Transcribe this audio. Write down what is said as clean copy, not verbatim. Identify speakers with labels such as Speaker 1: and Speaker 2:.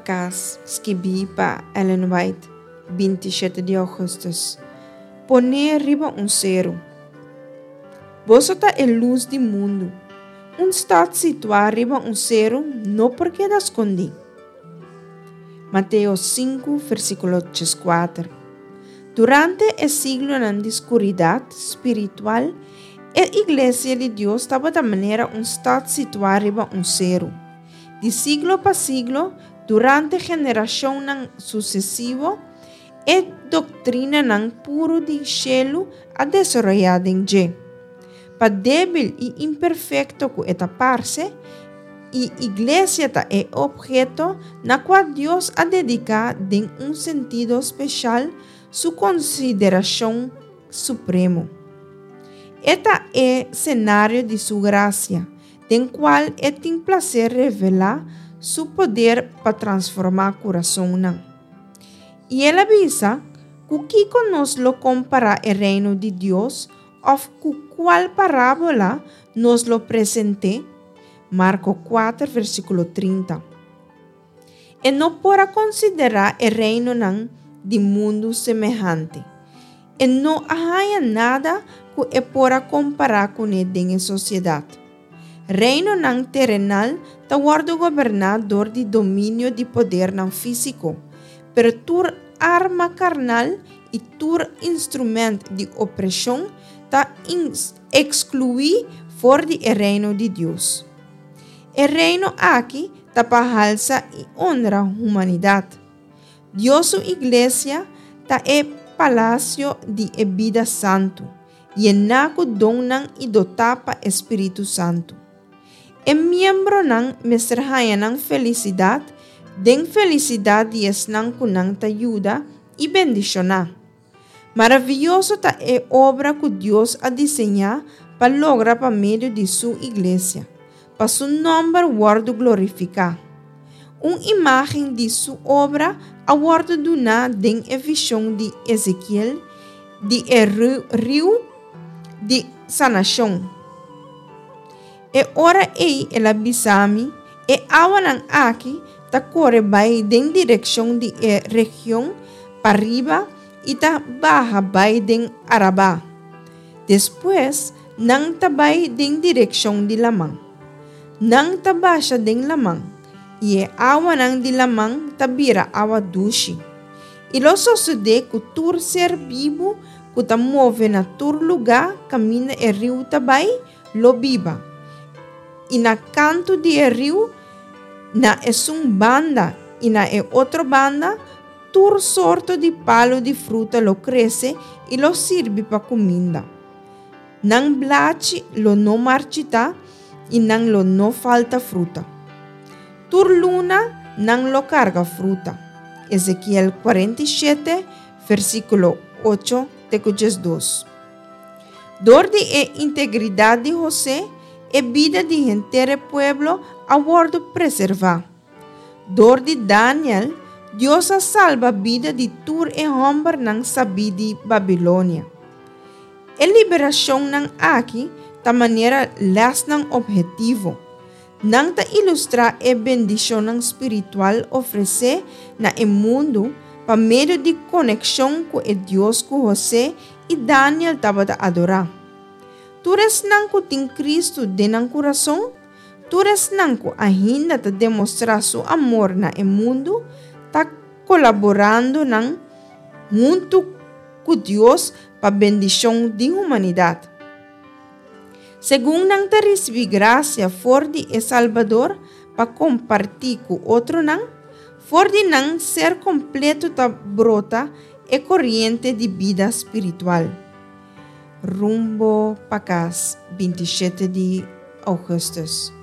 Speaker 1: pa Kas, skibí pa Ellen White, 27 di ougùstùs. Pon'é riba un seru. Boso ta e lus di mundu. Un stat situá riba un seru no por keda skondí. Mateo 5, versíkulo 14. Durante e siglonan di skuridat spiritual, e Iglesia di Dios tabata manera un stat situá riba un seru. Di siglo pa siglo, durante generashonnan susesivo, e doktrinanan puru di shelu a desaroyá den dje. Pa débil i imperfekto ku e ta parse, e Iglesia ta e opheto na kua Dios a dediká den un sentido speshal su konsiderashon supremo. E ta e senario di su grasia, den kual e tin plaser revelá su poder pa transformá kurasonnan. I el a bisa, Ku kiko nos lo kompará e Reino di Dios, òf ku kual parábola nos lo present'é? Marko kuater, versíkulo 30. E no por a konsiderá e reinonan di mundu semehante. E no a haña nada ku e por a kompará kuné den e sosiedat. Reinonan terenal ta wòrdu goberná dor di dominio di podernan físiko, pero tur arma karnal i tur instrumènt di opreshon ta ekskluí for di e Reino di Dios. E Reino aki ta pa halsa i onra humanidat. Dios su Iglesia ta e palasio di e bida santu, yená ku donnan i dotá pa e Spiritu Santu. E miembronan mester haña nan felisidat den felisidat di esnan ku nan ta yuda i bendishoná. Maravioso ta e obra ku Dios a diseñá pa logra pa medio di Su Iglesia, pa Su nòmber wòrdu glorifiká. Un imágen di Su obra a wòrdu duná den e vishon di Ezekiel di e riu di sanashon. E ora ei el a bisa mi, E awanan aki ta kore bai den direkshon di e region pariba i ta baha bai den Arabá. Despues nan ta bai den direkshon di laman. Nan ta basha den laman, i e awanan di laman ta bira awa dushi. I lo sosodé ku tur ser bibu ku ta move na tur lugá kaminda e riu ta bai, lo biba, i na kantu di e riu, na esun banda i na e otro banda, tur sorto di palu di fruta lo krese i lo sirbi pa kuminda. Nan blachi lo no marchitá i nan lo no falta fruta. Tur luna nan lo karga fruta. Ezekiel 47, versíkulo 8 te ku 12. Dor di e integridat di José, e bida di henter e pueblo a wòrdu preservá. Dor di Daniel, Dios a salba bida di tur e hòmbernan sabí di Babilonia. E liberashonnan aki ta manera lèsnan ophetivo. Nan ta ilustrá e bendishonnan spiritual ofresé na e mundu pa medio di konekshon ku e Dios ku José i Daniel tabata adorá. Tur esnan ku tin Kristu den nan kurason, tur esnan ku ainda ta demostrá su amor na e mundu, ta kolaborando nan huntu ku Dios pa bendishon di humanidat. Segun nan ta risibí grasia for di e Salbador pa kompartí ku otronan, for di nan ser kompleto ta brota e koriente di bida spiritual. Rumbo pa kas, 27 di ougùstùs.